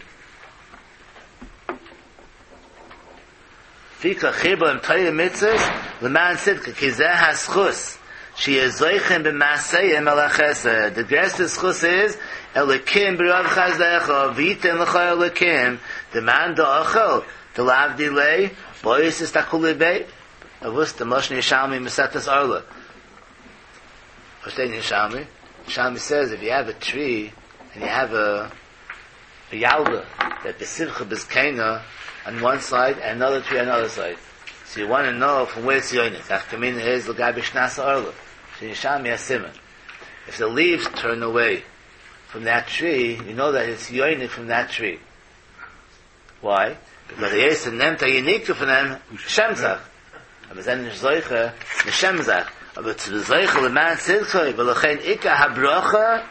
Fika chibul em Torah mitzvahs l'man tzidkoi. Ki zeh haschus sheyezoichem b'maaseihem el hachesed. The greatest schus is Elokim b'rav chazdecha v'yitin l'cha Elokim demand da'achol delavdi lei bois is takuli bei. Avus the Moshe Yishalmi Mesetas Arla. Moshe Yishalmi. Yishalmi says if you have a tree and you have a a yalda that b'simcha b'zkena on one side and another tree on the other side. So you want to know from where it's yonik. Achkamina is l'gabi shnas arla. Yishalmi has simon. If the leaves turn away from that tree, you know that it's yonik from that tree. Why? Because the yesa nemta yinika from them shemzach. Aber zen nicht zoiche shemzach. Aber zu zoiche leman tzidkoi v'lechein ika habrocha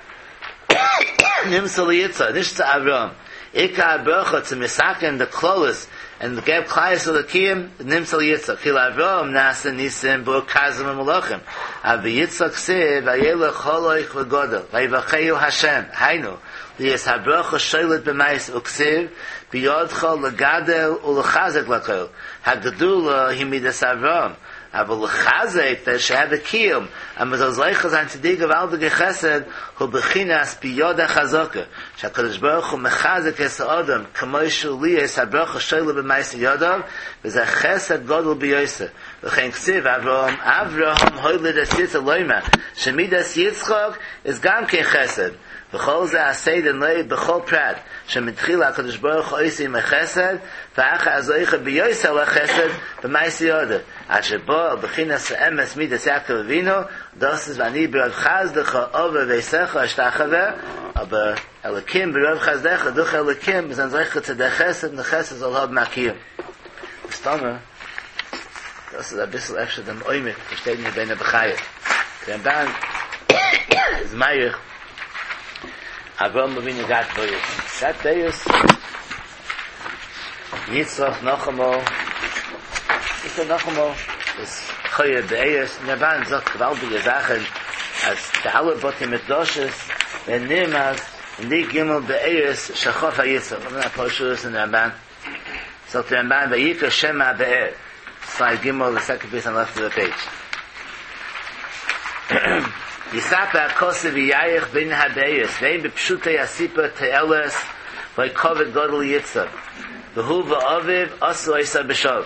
nimsa liyitza nicht zu Avram. Ika habrocha to misaken the klolos and the geb chayes l'kiyim nimsa liyitza. Ki Avram nasa nisim bo kazim malachim. Aber Yitzchak siv vayelech holoich v'godol vayivacheyu Hashem hainu liyis habrocha shoylet b'mais uksiv biyodcha legadel u'lechazek lakol hagdula himidas Avram. Aber lechazek that should have a kiyum and mezal zeicha zayin tzidik gewaltige chesed hu bechinas biyoda chazaka shakadosh baruch hu mechazek es ha'adam k'mo shu liyes habracha shoyla b'maisa yadav v'zeh chesed gadol b'yosef v'chein ksiv Avraham Avraham hoylid es Yitzchak loyma shemidas Yitzchak is gam ke chesed v'chol ze asei den lei b'chol prat shemitchila HaKadosh Baruch Hu oisi mechesed v'acha azoicha b'yosef lechesed b'maisa yadav asher bo b'chinas ha'emes midas Yaakov Avinu das is v'ani b'rav chazdecha over v'esecha ashtachave aber Elokim b'rav chazdecha duch Elokim b'zan zoicha tzedeh chesed and the chesed zal hab makiyim. Stama דאס איז א ביסל אפשר דעם עומק וואס שטייט אין רבינו בחיי. דער רמבן איז מאריך אברהם אבינו געהאט דורות. געהאט דורות. יצחק נאכאמאל. יצחק נאכאמאל איז חופר בארות. דער רמבן זאגט געוואלדיגע זאכן אז די אלע בתי מקדשות ווערן נרמז אין די ג' בארות שחפר יצחק. האבן אפאר שורות אין רמבן. זאגט דער רמבן ויקרא שם הבאר, סלייד ג' די סעקאנד פיס אן לעפט אוו די פעידזש. יספר הכתוב ויאריך בענין הבארות ואין בפשוטי הסיפור תועלת ולא כבוד גדול ליצחק והוא ואביו עשו אותה בשווה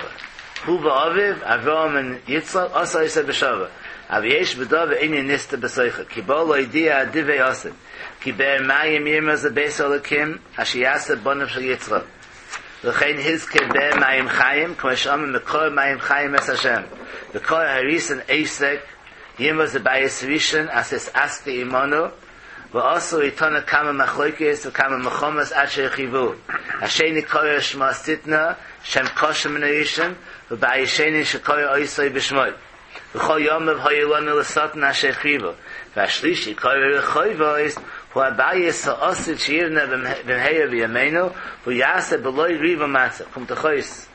הוא ואביו אברהם און יצחק עשו אותה בשווה אבל יש בדבר ענין נסתר בתוכה כי בא להודיע דברי עתיד כי באר מים ירמז לבית האלקים אשר יעשה בניו של יצחק וכן הזכיר באר מים חיים כמו שאמר מקור מים חיים את השם וכור הראשון עשק ירמוז לבית ראשון אשר אתעסקו עמנו ועשו איתנו כמה מחלוקת וכמה מלחמות עד שהרחיבו השני קרא שמה שטנה שם קשה מן הראשון ובית שני שקרא אותו בשמו וכל ימיו היו לנו לשטן אשר החריבו והשלישי קרא רחובות הוא הבית העתיד שיבנה במהרה בימינו והוא יעשה בלא ריב ומצה קומט דאך אויס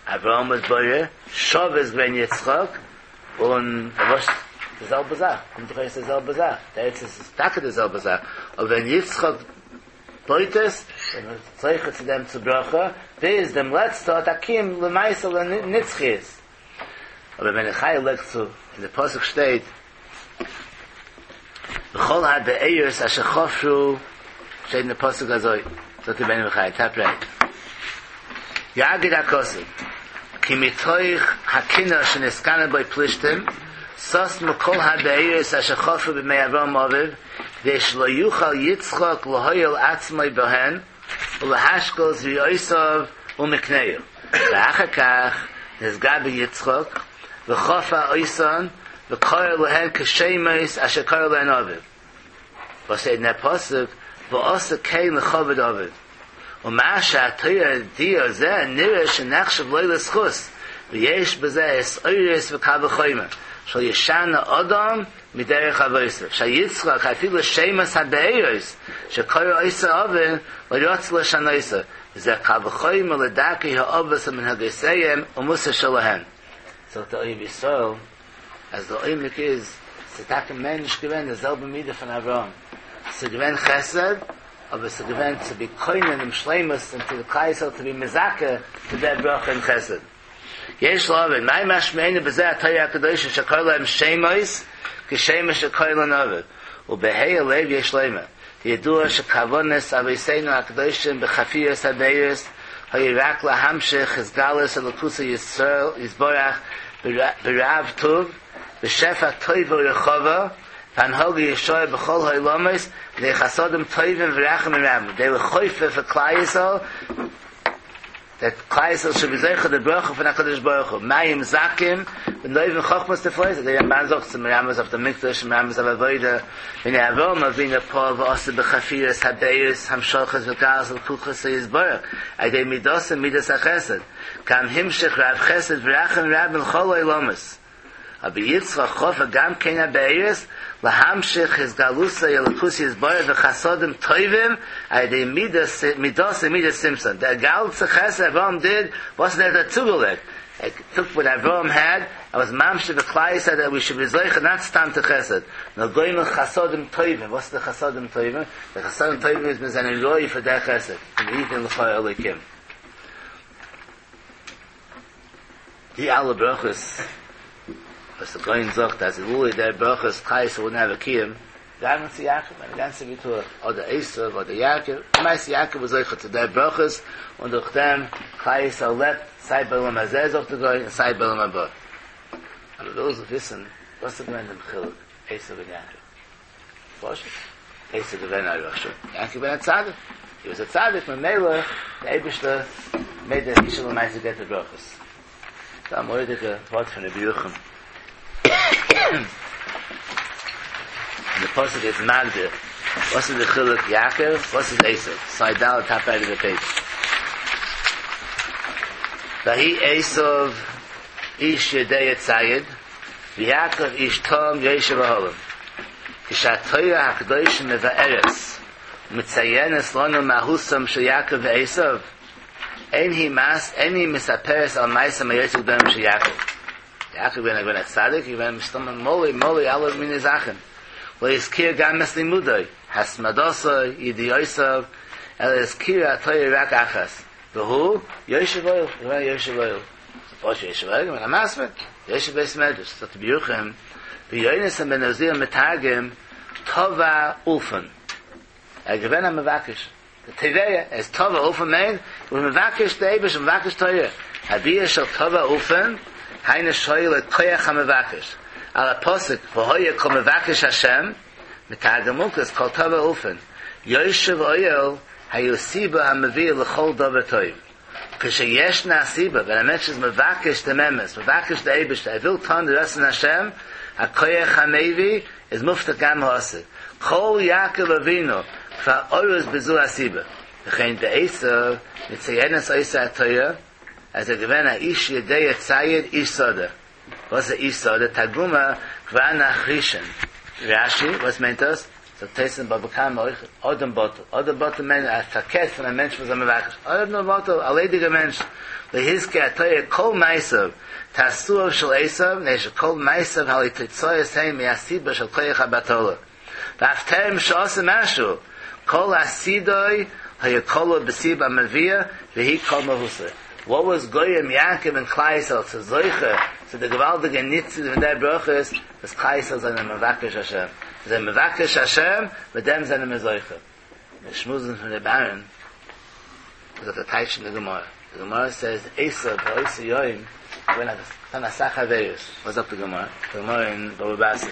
אברהם איז בורר שווה איז געווען יצחק און וואס די זעלבע זאך קומט דאך אויס די זעלבע זאך דער איז טאקע די זעלבע זאך אבער ווען יצחק בויט עס איז מען זוכה צו דעם צו ברכה ביז דעם לעצטע האט א קיום למעשה לנצחיות אבער בן איש חי לייגט צו אין די פסוק שטייט וכל הבארות אשר חפרו שטייט אין די פסוק אזוי זאגט דער בן איש חי טאפ רייט יגיד הכתוב כי מתוך הקנאה שנתקנאו בו פלישתים סתמו כל הבארות אשר חפרו בימי אברהם אביו כדי שלא יוכל יצחק להועיל עצמו בהן ולהשקות זריעותיו ומקנהו ואחר כך נתגבר יצחק וחפר אותן וקרא להן כשמות אשר קרא להן אביו וואס שטייט אין דער פסוק ועשה כן לכבוד אביו ומה שהתורה הודיעה זה נראה שנחשב לו לזכות ויש בזה התעוררות וקל וחומר שלא ישנה אדם מדרך אבותיו שיצחק אפילו שמות הבארות שקרא אותן אביו לא רצה לשנותה וזה קל וחומר לדרכי האבות ומנהגותיהם ומוסר שלהן. זאגט דער אוהב ישראל אז דער עומק איז, ס'איז טאקע מער נישט געווען די זעלבע מידה פון אברהם, ס'איז געווען חסד, אבער ס'איז געווען צו בי קונה דעם שלימות און צו די כלל ישראל צו בי מזכה צו דער ברכה און חסד. יש להבין, מה משמענו בזה התורה הקדושה שקרא להם שמות כשמות שקרא להן אביו, ובה"א הלב יש לומר, דידוע שכוונת אבותינו הקדושים בחפירת הבארות היה רק להמשיך התגלות אלוקות ישראל יתברך ברב טוב בשפע טובה ורחבה והנהגה ישרה בכל העולמות על ידי חסדים טובים ורחמים רבים they were חופר for כלל ישראל that כלל ישראל should be זוכה די ברכה פון הקדוש ברוך הוא מים זכים ונובעים חכמות נפלאות דער רמבן זאגט ס'איז מרמז אויף דעם מקדש מרמז אויף עבודה והנה אברהם אבינו פעל ועשה בחפירת הבארות המשכת והתגלות אלקותו יתברך על ידי מידתו מידת החסד גם המשיך רב חסד ורחמים רבים לכל העולמות אבער יצחק חפר גם כן הבארות להמשיך התגלות אלוקות יתברך וחסדים טובים על ידי מידות מידות מידת צמצום. דער גאנצע חסד אברהם did וואס ער האט צוגעלייגט. He took what Avraham had and was ממשיך בכלל ישראל that we should be זוכה not סתם to חסד. נאר גומל חסדים טובים. וואס איז די חסדים טובים? די חסדים טובים איז מיר זענען ראוי פאר דער חסד. און ויתן לך אלוקים. די אלע ברכות וואס דער גאון זאגט אז אילולי דער ברכות כלל ישראל וואלט נעווער קיום געגאנגען צו יעקב מיין גאנצע ויכוח אדער עשו אדער יעקב למעשה יעקב איז זוכה צו דער ברכות און דורך דעם כלל ישראל לעבט סיי בעולם הזה זאגט דער גאון און סיי בעולם הבא אבער וויל זיך וויסן וואס איז געווען דעם חילוק עשו און יעקב פשוט עשו געווען א רשע יעקב געווען א צדיק he was a צדיק ממילא דער אייבערשטער made that he should למעשה get the ברכות דא מורא'דיגע ווארט פון רבי ירוחם און די פסוק איז מגדיר וואס איז די חילוק יעקב וואס איז עשו סייד ד' טאפ רייט אוו די פעידזש ויהי עשו איש יודע ציד, ויעקב איש תם יושב אהלים. כשהתורה הקדושה מבארת ומציינת לנו מהותם של יעקב ועשיו, אין היא מס, אין היא מספרת על מעשים היותר גדולים של יעקב. יעקב געווען געווען א צדיק, געווען מסתמא מלא מלא אלע מיני זאכן. לא הזכיר גם את לימודו, התמדתו, ידיעותיו, אלא הזכירה התורה רק אחת, והוא יושב אוהל, געווען יושב אוהל. וואס יושב אוהל? געווען א מתמיד, יושב בית מדרש. זאגט רבי ירוחם, ויונתן בן עוזיאל מתרגם, תבע אולפן. ער איז געווען א מבקש. די תובע איז תבע אולפן מיינט, הוא מבקש די אייבערשטן, מבקש תורה. הביאור של תבע אולפן, היינו שהיה לו כח המבקש. על הפסוק, והיה כל מבקש השם, מתרגם אונקלוס, כל תבע אולפן. יושב אוהל, היו סיבה המביא לכל דבר טוב. כשישנה הסיבה, ווען א מענטש איז מבקש דעם אמת, מבקש די אייבערשטער, ער וויל טון די רצון השם, הכח המביא איז מובטח גם העתיד. כל יעקב אבינו כבר ארוז בזו הסיבה. וכן בעשו מציינת אותו התורה, אז ער געווען א איש יודע ציד איש שדה. וואס איז איש שדה? תרגומה כבר נחרישין. רשי, וואס מיינט דאס? זאגט תוס' אין בבא קמא אויך, אדם בטל. אדם בטל מיינט א פארקערט פון א מענטש וואס איז א מבקש. אדם בטל, א ליידיגער מענטש. לא הזכיר התורה כל מעשיו, תעשואיו של עשיו, מפני שכל מעשיו הלא תוצאות הן מהסיבה של כח הבטלה. ואף טרם שעשה משהו, כל עתידו היה כלול בסיבה המביאה, והיא כל מהותו. What was גורם יעקב און כלל ישראל צו זוכה צו די געוואלדיגע ניצוץ פון די ברכות, וואס כלל ישראל זענען מבקש השם. זיי זענען מבקש השם, מיט דעם זענען מיר זוכה. מיר שמועסן פון ר' אהרן, וואס האט א טייטש אין די גמרא. די גמרא says עשו באותו יום געווען געטאן אסאך עבירות. וואס זאגט די גמרא? די גמרא אין בבא בתרא.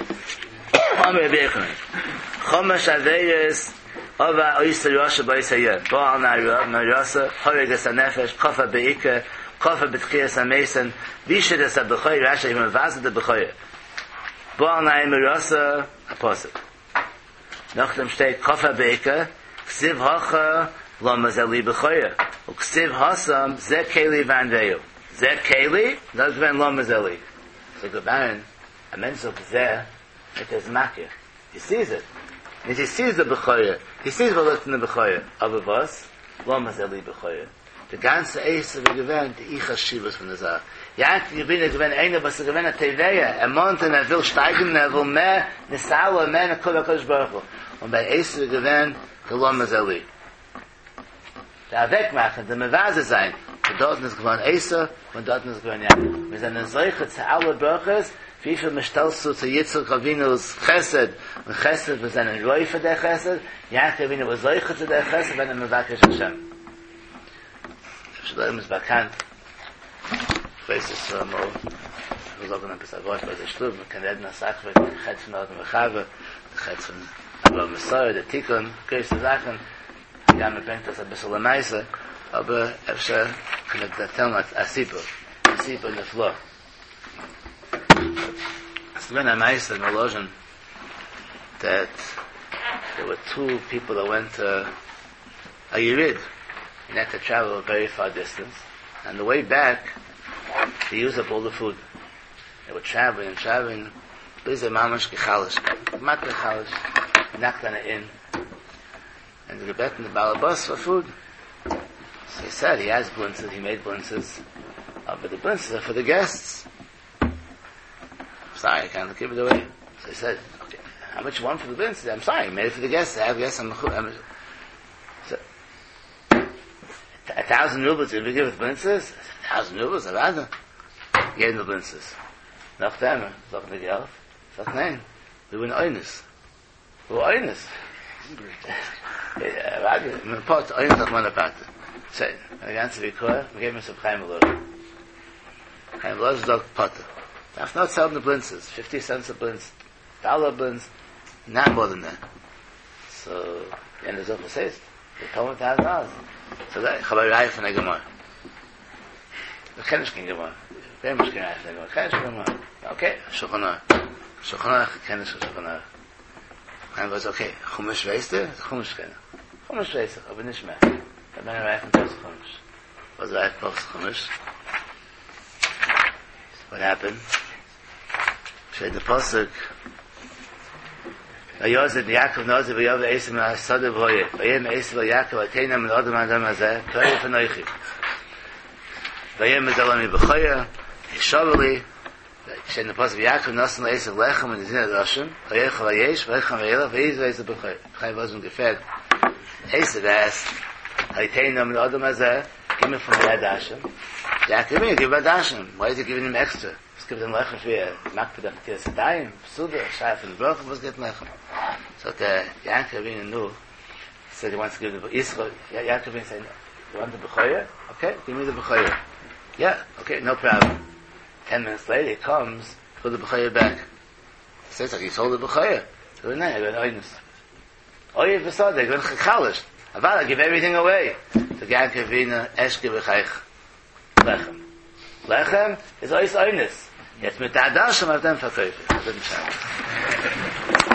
אמר רבי יוחנן, חמש עבירות עבר אותו רשע באותו יום, בא על נערה מאורסה, הרג את הנפש, כפר בעיקר, כפר בתחיית המתים, בישט את הבכור, רש"י איז מבזה די בכור. בא על נערה מאורסה, א פסוק. נאכדעם שטייט כפר בעיקר, כתיב הכא למה זה לי בכור, וכתיב התם זה קלי ואנוהו, זה קלי, דאס איז געווען למה זה לי. זאגט ר' אהרן, א מענטש זאגט זה, מיינט ער איז מכיר, he sees it, he sees the בכורה, he sees וואס ליגט אין די בכורה, אבער וואס? למה זה לי בכורה? די גאנצע עשו איז געווען די אי חשיבות פון די זאך. יעקב אבינו איז געווען איינער וואס איז געווען א תובע, ער מאנט און ער וויל שטייגן און ער וויל מער נתעלה און מער נקרב הקדוש ברוך הוא. און ביי עשו איז געווען די למה זה לי. די אוועקמאכן, די מבזה זיין, פון דארטן איז געווארן עשו, פון דארטן איז געווארן יעקב. מיר זענען זוכה צו אלע ברכות, וויפיל מען שטעלט צו צו יצחק אבינו'ס חסד, און חסד וואס זענען ראוי פאר דער חסד, יעקב אבינו וואס זוכה צו דער חסד ווען ער מבקש השם. אפשר דער עולם איז באקאנט, איך ווייס עס צו אמאל, איך וויל זאגן עפעס א ווארט ביי די שטוב, מען קען רעדן אסאך וועגן די חטא פון אדם וחווה, די חטא פון אברהם ושרה, די תיקון, גרויסע זאכן, הגם מען ברענגט עס אביסל למעשה, אבער אפשר קען איך דערציילן א סיפור, א סיפור נפלא. עס איז געווען א מעשה אין וואלאזשין, that there were two people that went to a יריד and had to travel a very far distance. On the way back, they used up all the food. They were traveling and traveling. ביז זיי ממש געחלשט. כמעט געחלשט. Knocked on an inn. And they געבעטן the בעל הבית for food. So he said he has blintzes, he made blintzes. Uh, but the blintzes are for the guests. I'm sorry, I can't give it away. So he said, okay, how much you want for the blintzes? I'm sorry, I made it for the guests. I have guests. I'm, I'm so, a thousand rubles, if you give it blintzes? A thousand rubles, I'd rather. Gave him the blintzes. נאכדעם, זאגט די געלט, זאגט ניין, מיר זענען אונס. מיר זענען אונס. מען פאט אונס אויף מיינע פאטער. So, די גאנצע ויכוח, מיר געבן עס אויף חיים וואלאזשין. חיים וואלאזשין זאגט פטור. דארף נאר צאלן די blintzes, fifty cents a blintz, dollar blintz, not more than that. So, יענער זאגט, וואס הייסט? They told me thousand dollars. So, איך האב א ראיה פון א גמרא. איך קען נישט קיין גמרא. איך בין נישט קיין ראיה פון א גמרא. איך קען נישט קיין גמרא. Okay, שולחן ערוך. שולחן ערוך, איך קען נישט שולחן ערוך. און וואס, okay, חומש ווייסט דו? חומש קען איך. חומש ווייס איך, אבער נישט מער. איך בין א ראיה פון תוס' חומש. וואס ראיה פון תוס' חומש? What happened? שטייט די פסוק ויזד יעקב נזיר ויבא עשו מן השדה ועיף ויאמר עשו אל יעקב התן נא מן האדם האדם הזה כי עיף אנכי ויאמר זה לא מבכור השבע לי שטייט אין פסוק ויעקב נתן לעשו לחם ונזיד עדשים ויאכל וישת ויחן וילך ויזב עשו בכור חיים וואזנער געפרעגט עשו asked התן נא מן האדם הזה give me from the עדשים Yaakov Avinu give עדשים why is he giving him extra Just give them לחם for מקפיד אויף נטילת ידיים, סעודה, שייך פון ברכה, וואס גיט לחם? So the Yaakov Avinu knew, said he wants to give the Yisrael, Yaakov Avinu said, you want the Bechorah? Okay, give me the Bechorah. Yeah, okay, no problem. Ten minutes later, he comes, put the Bechorah back. He says, like, he sold the Bechorah. So, no, I got oinus. Oy, v'sad, I got chalish. Aval, I give everything away. So Yaakov Avinu, eshke v'chaych, lechem. Lechem is ois oinus. Jetzt mit der עדשים אויף דעם פארקויף. דאס איז נישט